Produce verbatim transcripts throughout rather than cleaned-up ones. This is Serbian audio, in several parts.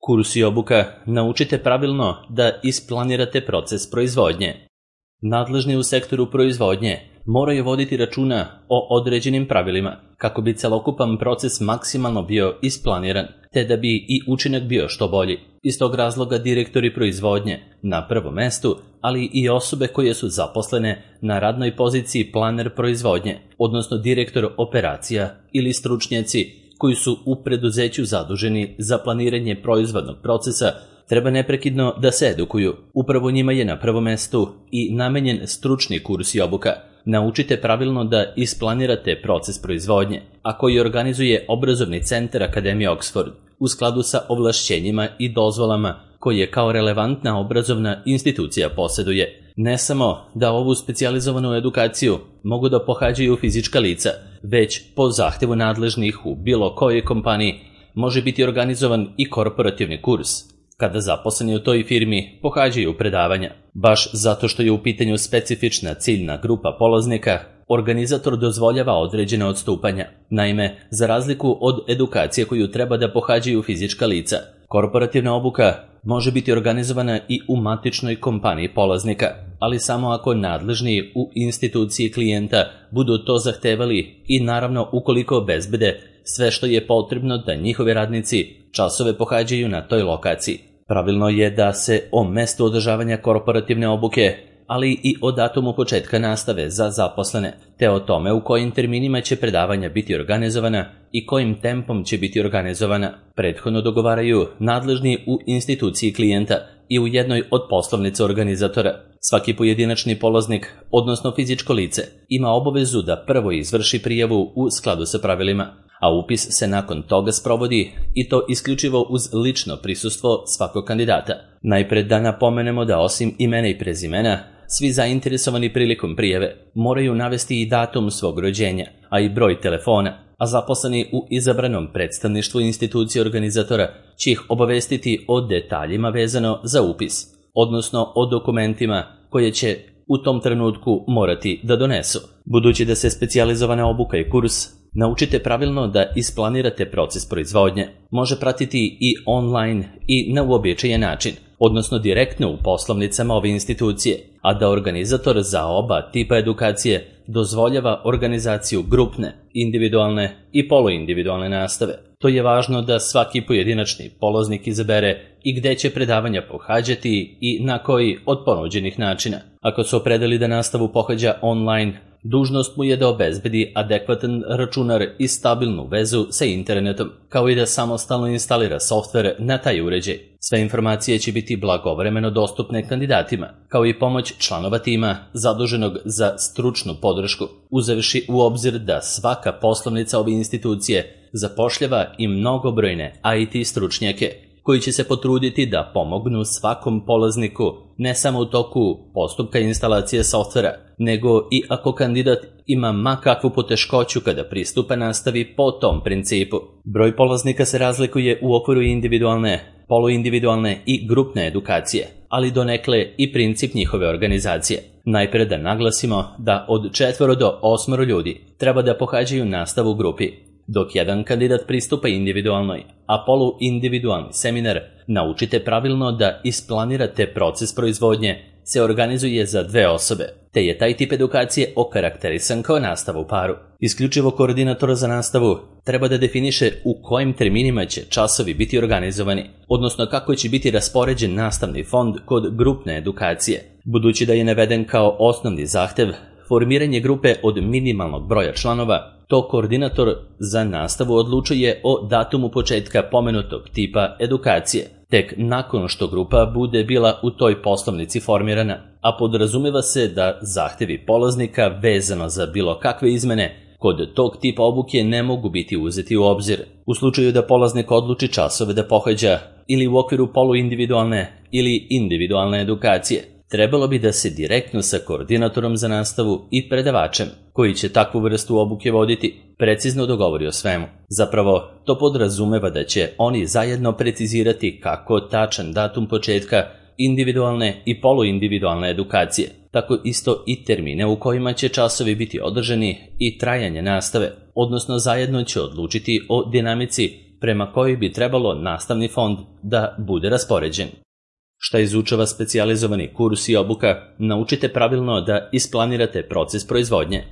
Kurs i obuka naučite pravilno da isplanirate proces proizvodnje. Nadležni u sektoru proizvodnje moraju voditi računa o određenim pravilima kako bi celokupan proces maksimalno bio isplaniran, te da bi i učinak bio što bolji. Iz tog razloga direktori proizvodnje na prvom mestu, ali i osobe koje su zaposlene na radnoj poziciji planer proizvodnje, odnosno direktor operacija ili stručnjaci koji su u preduzeću zaduženi za planiranje proizvodnog procesa, treba neprekidno da se edukuju. Upravo njima je na prvom mestu i namenjen stručni kurs i obuka. Naučite pravilno da isplanirate proces proizvodnje, a koji organizuje obrazovni centar Akademije Oxford u skladu sa ovlašćenjima i dozvolama koje kao relevantna obrazovna institucija posjeduje. Ne samo da ovu specijalizovanu edukaciju mogu da pohađaju fizička lica, već po zahtevu nadležnih u bilo kojoj kompaniji može biti organizovan i korporativni kurs, kada zaposleni u toj firmi pohađaju predavanja. Baš zato što je u pitanju specifična ciljna grupa polaznika, organizator dozvoljava određene odstupanja. Naime, za razliku od edukacije koju treba da pohađaju fizička lica, korporativna obuka može biti organizovana i u matičnoj kompaniji polaznika, ali samo ako nadležni u instituciji klijenta budu to zahtevali i naravno ukoliko obezbede sve što je potrebno da njihovi radnici časove pohađaju na toj lokaciji. Pravilno je da se o mestu održavanja korporativne obuke, ali i o datumu početka nastave za zaposlene, te o tome u kojim terminima će predavanja biti organizovana i kojim tempom će biti organizovana, prethodno dogovaraju nadležni u instituciji klijenta i u jednoj od poslovnica organizatora. Svaki pojedinačni polaznik, odnosno fizičko lice, ima obavezu da prvo izvrši prijavu u skladu sa pravilima, a upis se nakon toga sprovodi i to isključivo uz lično prisustvo svakog kandidata. Najpred da napomenemo da osim imena i prezimena, svi zainteresovani prilikom prijave moraju navesti i datum svog rođenja, a i broj telefona, a zaposleni u izabranom predstavništvu institucije organizatora će ih obavestiti o detaljima vezano za upis, odnosno o dokumentima koje će u tom trenutku morati da donesu. Budući da se specijalizovana obuka i kurs naučite pravilno da isplanirate proces proizvodnje, može pratiti i online i na uobičajen način, odnosno direktno u poslovnicama ove institucije, a da organizator za oba tipa edukacije dozvoljava organizaciju grupne, individualne i poluindividualne nastave. To je važno da svaki pojedinačni polaznik izabere i gde će predavanja pohađati i na koji od ponuđenih načina. Ako se opredeli da nastavu pohađa online, dužnost mu je da obezbedi adekvatan računar i stabilnu vezu sa internetom, kao i da samostalno instalira softver na taj uređaj. Sve informacije će biti blagovremeno dostupne kandidatima, kao i pomoć članova tima zaduženog za stručnu podršku, uzevši u obzir da svaka poslovnica ove institucije zapošljava i mnogobrojne I T stručnjake, koji će se potruditi da pomognu svakom polazniku ne samo u toku postupka instalacije softvera, nego i ako kandidat ima ma kakvu poteškoću kada pristupa nastavi po tom principu. Broj polaznika se razlikuje u okviru individualne, poluindividualne i grupne edukacije, ali donekle i princip njihove organizacije. Najpre da naglasimo da od četvoro do osmoro ljudi treba da pohađaju nastavu u grupi, dok jedan kandidat pristupa individualnoj, a poluindividualni seminar naučite pravilno da isplanirate proces proizvodnje se organizuje za dve osobe, te je taj tip edukacije okarakterisan kao nastava u paru. Isključivo koordinator za nastavu treba da definiše u kojim terminima će časovi biti organizovani, odnosno kako će biti raspoređen nastavni fond kod grupne edukacije. Budući da je naveden kao osnovni zahtev formiranje grupe od minimalnog broja članova, to koordinator za nastavu odlučuje o datumu početka pomenutog tipa edukacije, tek nakon što grupa bude bila u toj poslovnici formirana, a podrazumeva se da zahtevi polaznika vezano za bilo kakve izmene kod tog tipa obuke ne mogu biti uzeti u obzir. U slučaju da polaznik odluči časove da pohađa ili u okviru poluindividualne ili individualne edukacije, trebalo bi da se direktno sa koordinatorom za nastavu i predavačem, koji će takvu vrstu obuke voditi, precizno dogovori o svemu. Zapravo, to podrazumeva da će oni zajedno precizirati kako tačan datum početka individualne i poluindividualne edukacije, tako isto i termine u kojima će časovi biti održani i trajanje nastave, odnosno zajedno će odlučiti o dinamici prema kojoj bi trebalo nastavni fond da bude raspoređen. Šta izučava specijalizovani kurs i obuka, naučite pravilno da isplanirate proces proizvodnje.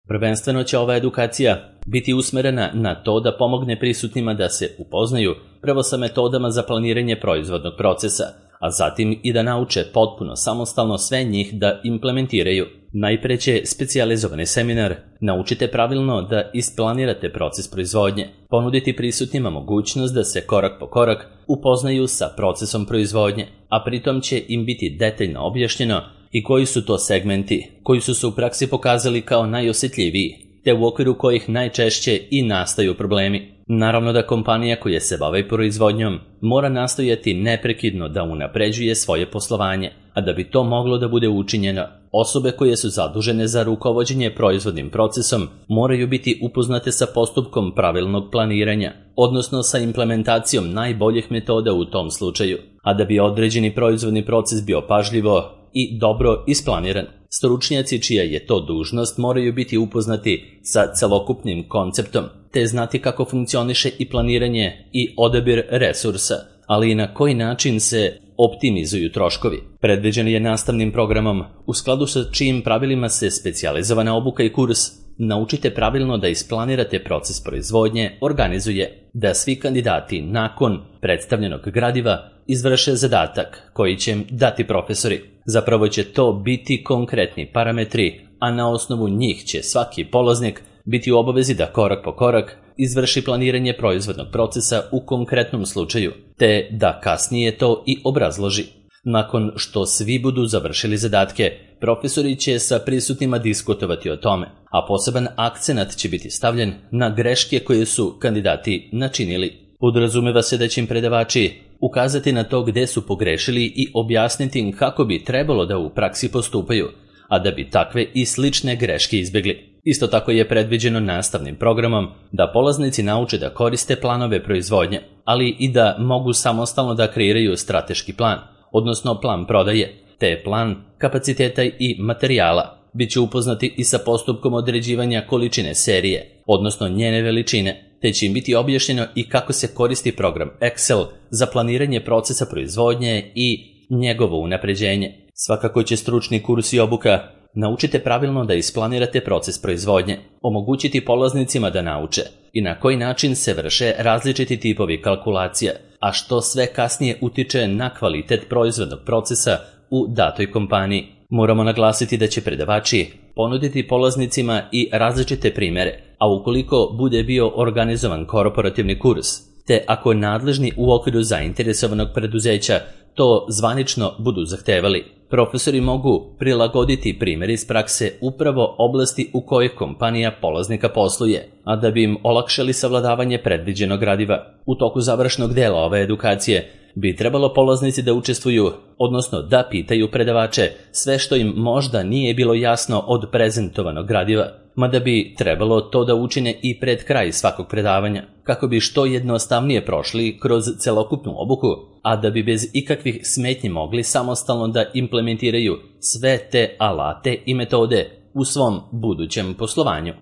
Prvenstveno će ova edukacija biti usmerena na to da pomogne prisutnima da se upoznaju prvo sa metodama za planiranje proizvodnog procesa, a zatim i da nauče potpuno samostalno sve njih da implementiraju. Najpre će specijalizovani seminar naučite pravilno da isplanirate proces proizvodnje, ponuditi prisutnima mogućnost da se korak po korak upoznaju sa procesom proizvodnje, a pritom će im biti detaljno objašnjeno i koji su to segmenti koji su se u praksi pokazali kao najosjetljiviji, te u okviru kojih najčešće i nastaju problemi. Naravno da kompanija koja se bavi proizvodnjom mora nastojati neprekidno da unapređuje svoje poslovanje, a da bi to moglo da bude učinjeno, osobe koje su zadužene za rukovođenje proizvodnim procesom moraju biti upoznate sa postupkom pravilnog planiranja, odnosno sa implementacijom najboljih metoda u tom slučaju, a da bi određeni proizvodni proces bio pažljivo i dobro isplaniran. Stručnjaci čija je to dužnost moraju biti upoznati sa celokupnim konceptom, te znati kako funkcioniše i planiranje i odabir resursa, ali i na koji način se optimizuju troškovi. Predviđen je nastavnim programom, u skladu sa čijim pravilima se specijalizovana obuka i kurs naučite pravilno da isplanirate proces proizvodnje, organizuje, da svi kandidati nakon predstavljenog gradiva izvrše zadatak koji će im dati profesori. Zapravo će to biti konkretni parametri, a na osnovu njih će svaki polaznik biti u obavezi da korak po korak izvrši planiranje proizvodnog procesa u konkretnom slučaju, te da kasnije to i obrazloži. Nakon što svi budu završili zadatke, profesori će sa prisutnima diskutovati o tome, a poseban akcenat će biti stavljen na greške koje su kandidati načinili. Podrazumeva se da će im predavači ukazati na to gde su pogrešili i objasniti im kako bi trebalo da u praksi postupaju, a da bi takve i slične greške izbjegli. Isto tako je predviđeno nastavnim programom da polaznici nauče da koriste planove proizvodnje, ali i da mogu samostalno da kreiraju strateški plan, odnosno plan prodaje, te plan kapaciteta i materijala. Biće upoznati i sa postupkom određivanja količine serije, odnosno njene veličine, te će im biti objašnjeno i kako se koristi program Excel za planiranje procesa proizvodnje i njegovo unapređenje. Svakako će stručni kurs i obuka naučite pravilno da isplanirate proces proizvodnje, omogućiti polaznicima da nauče i na koji način se vrše različiti tipovi kalkulacija, a što sve kasnije utiče na kvalitet proizvodnog procesa u datoj kompaniji. Moramo naglasiti da će predavači ponuditi polaznicima i različite primere, a ukoliko bude bio organizovan korporativni kurs, te ako nadležni u okviru zainteresovanog preduzeća to zvanično budu zahtevali, profesori mogu prilagoditi primjer iz prakse upravo oblasti u kojoj kompanija polaznika posluje, a da bi im olakšali savladavanje predviđenog gradiva. U toku završnog dela ove edukacije bi trebalo polaznici da učestvuju, odnosno da pitaju predavače sve što im možda nije bilo jasno od prezentovanog gradiva, mada bi trebalo to da učine i pred kraj svakog predavanja, kako bi što jednostavnije prošli kroz celokupnu obuku, a da bi bez ikakvih smetnji mogli samostalno da implementiraju sve te alate i metode u svom budućem poslovanju.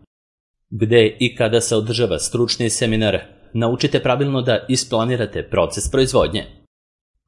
Gde i kada se održava stručni seminar, naučite pravilno da isplanirate proces proizvodnje.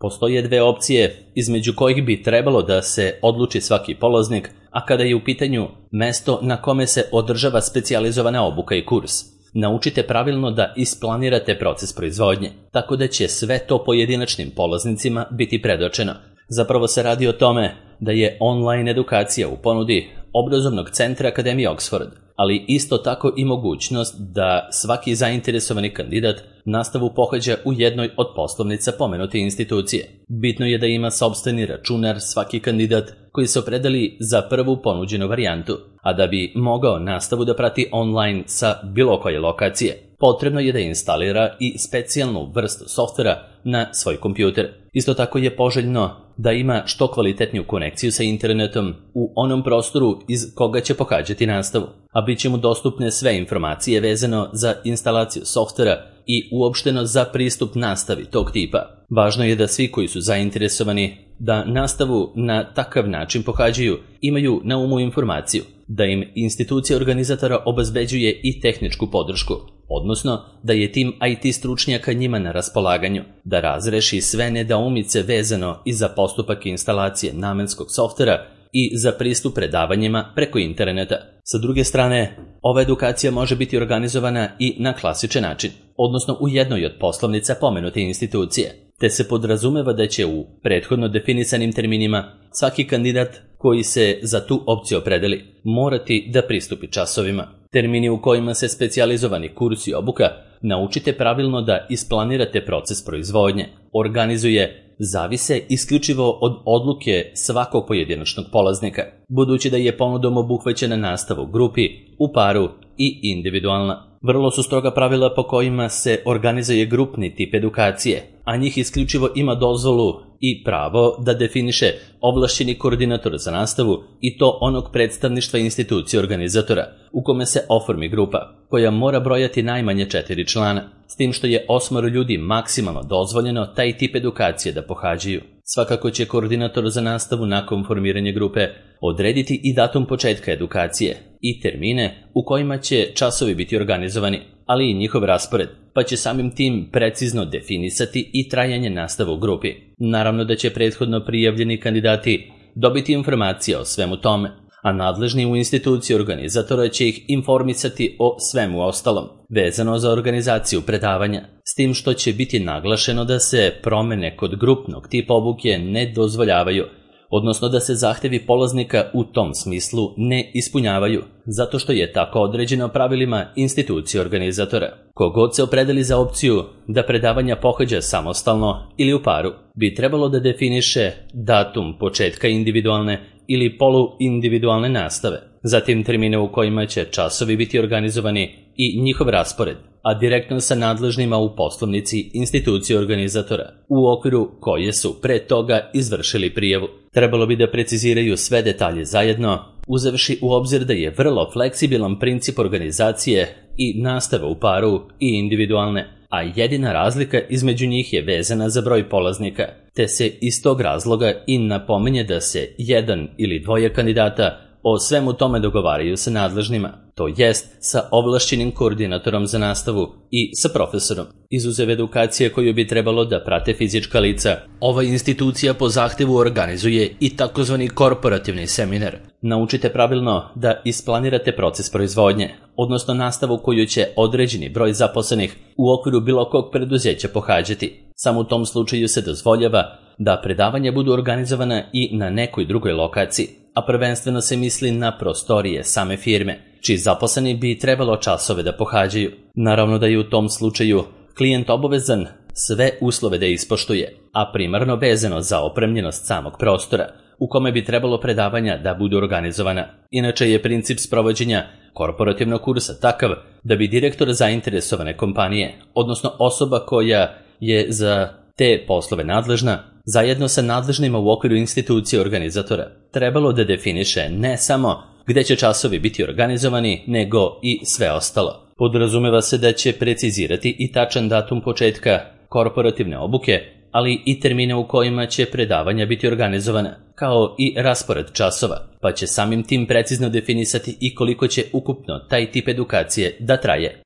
Postoje dve opcije između kojih bi trebalo da se odluči svaki polaznik, a kada je u pitanju mesto na kome se održava specijalizovana obuka i kurs. Naučite pravilno da isplanirate proces proizvodnje, tako da će sve to pojedinačnim polaznicima biti predočeno. Zapravo se radi o tome da je online edukacija u ponudi obrazovnog centra Akademije Oxford, ali isto tako i mogućnost da svaki zainteresovani kandidat nastavu pohađa u jednoj od poslovnica pomenute institucije. Bitno je da ima sopstveni računar svaki kandidat koji se opredeli za prvu ponuđenu varijantu, a da bi mogao nastavu da prati online sa bilo koje lokacije, potrebno je da instalira i specijalnu vrstu softvera na svoj kompjuter. Isto tako je poželjno da ima što kvalitetniju konekciju sa internetom u onom prostoru iz koga će pohađati nastavu, a bit će mu dostupne sve informacije vezano za instalaciju softvera i uopšteno za pristup nastavi tog tipa. Važno je da svi koji su zainteresovani da nastavu na takav način pohađaju imaju na umu informaciju, da im institucija organizatora obezbeđuje i tehničku podršku, odnosno da je tim I T stručnjaka njima na raspolaganju, da razreši sve nedoumice vezano i za postupak instalacije namenskog softvera i za pristup predavanjima preko interneta. Sa druge strane, ova edukacija može biti organizovana i na klasičan način, odnosno u jednoj od poslovnica pomenute institucije, te se podrazumeva da će u prethodno definisanim terminima svaki kandidat koji se za tu opciju opredeli morati da pristupi časovima. Termini u kojima se specijalizovani kurs i obuka naučite pravilno da isplanirate proces proizvodnje, organizuje, zavise isključivo od odluke svakog pojedinačnog polaznika, budući da je ponudom obuhvaćena nastava u grupi, u paru i individualna. Vrlo su stroga pravila po kojima se organizuje grupni tip edukacije, a njih isključivo ima dozvolu i pravo da definiše ovlašćeni koordinator za nastavu i to onog predstavništva institucije organizatora, u kome se oformi grupa, koja mora brojati najmanje četiri člana, s tim što je osmoro ljudi maksimalno dozvoljeno taj tip edukacije da pohađaju. Svakako će koordinator za nastavu nakon formiranja grupe odrediti i datum početka edukacije i termine u kojima će časovi biti organizovani, ali i njihov raspored, pa će samim tim precizno definisati i trajanje nastave u grupi. Naravno da će prethodno prijavljeni kandidati dobiti informacije o svemu tome, a nadležni u instituciji organizatora će ih informisati o svemu ostalom, vezano za organizaciju predavanja, s tim što će biti naglašeno da se promene kod grupnog tipa obuke ne dozvoljavaju, odnosno da se zahtevi polaznika u tom smislu ne ispunjavaju, zato što je tako određeno pravilima institucije organizatora. Kogod se opredeli za opciju da predavanja pohađa samostalno ili u paru, bi trebalo da definiše datum početka individualne ili poluindividualne nastave, zatim termine u kojima će časovi biti organizovani i njihov raspored, a direktno sa nadležnima u poslovnici institucije organizatora, u okviru koje su pre toga izvršili prijavu. Trebalo bi da preciziraju sve detalje zajedno, uzevši u obzir da je vrlo fleksibilan princip organizacije i nastave u paru i individualne, a jedina razlika između njih je vezana za broj polaznika, te se iz tog razloga i napominje da se jedan ili dvoje kandidata o svemu tome dogovaraju sa nadležnima, to jest sa ovlašćenim koordinatorom za nastavu i sa profesorom. Izuzev edukacije koju bi trebalo da prate fizička lica, ova institucija po zahtevu organizuje i takozvani korporativni seminar. Naučite pravilno da isplanirate proces proizvodnje, odnosno nastavu koju će određeni broj zaposlenih u okviru bilo kog preduzeća pohađati. Samo u tom slučaju se dozvoljava da predavanja budu organizovana i na nekoj drugoj lokaciji, a prvenstveno se misli na prostorije same firme, čiji zaposleni bi trebalo časove da pohađaju. Naravno da je u tom slučaju klijent obavezan sve uslove da ispoštuje, a primarno vezano za opremljenost samog prostora u kome bi trebalo predavanja da budu organizovana. Inače je princip sprovođenja korporativnog kursa takav da bi direktor zainteresovane kompanije, odnosno osoba koja je za te poslove nadležna, zajedno sa nadležnima u okviru institucije organizatora, trebalo da definiše ne samo gde će časovi biti organizovani, nego i sve ostalo. Podrazumeva se da će precizirati i tačan datum početka korporativne obuke, ali i termine u kojima će predavanja biti organizovana, kao i raspored časova, pa će samim tim precizno definisati i koliko će ukupno taj tip edukacije da traje.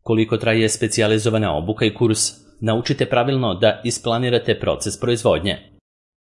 Koliko traje specijalizovana obuka i kurs, naučite pravilno da isplanirate proces proizvodnje.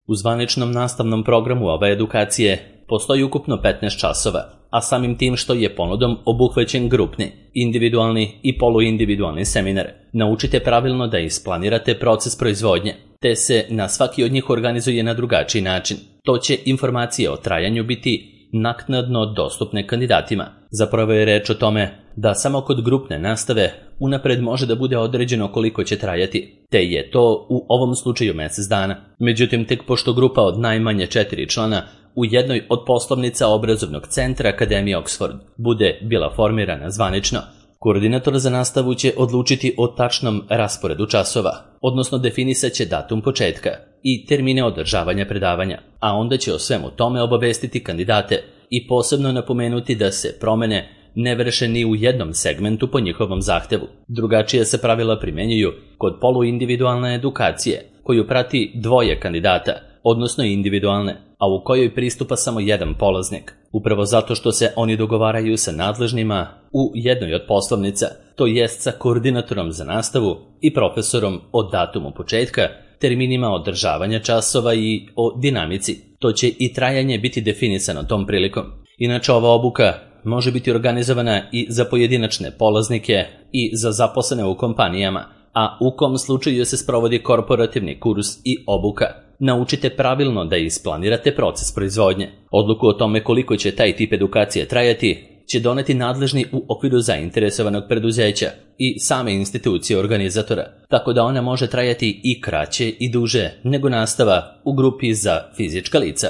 U zvaničnom nastavnom programu ove edukacije postoji ukupno petnaest časova, a samim tim što je ponudom obuhvaćen grupni, individualni i poluindividualni seminar, naučite pravilno da isplanirate proces proizvodnje, te se na svaki od njih organizuje na drugačiji način. To će informacije o trajanju biti naknadno dostupne kandidatima. Zapravo je reč o tome da samo kod grupne nastave unapred može da bude određeno koliko će trajati, te je to u ovom slučaju mjesec dana. Međutim, tek pošto grupa od najmanje četiri člana u jednoj od poslovnica obrazovnog centra Akademije Oxford bude bila formirana zvanično, koordinator za nastavu će odlučiti o tačnom rasporedu časova, odnosno definisat će datum početka i termine održavanja predavanja, a onda će o svemu tome obavestiti kandidate i posebno napomenuti da se promene ne vrše ni u jednom segmentu po njihovom zahtevu. Drugačije se pravila primenjuju kod poluindividualne edukacije, koju prati dvoje kandidata, odnosno individualne, a u kojoj pristupa samo jedan polaznik. Upravo zato što se oni dogovaraju sa nadležnima u jednoj od poslovnica, to jest sa koordinatorom za nastavu i profesorom o datumu početka, terminima održavanja časova i o dinamici. To će i trajanje biti definisano tom prilikom. Inače, ova obuka može biti organizovana i za pojedinačne polaznike i za zaposlene u kompanijama, a u kom slučaju se sprovodi korporativni kurs i obuka. Naučite pravilno da isplanirate proces proizvodnje. Odluku o tome koliko će taj tip edukacije trajati će doneti nadležni u okviru zainteresovanog preduzeća i same institucije organizatora, tako da ona može trajati i kraće i duže nego nastava u grupi za fizička lica.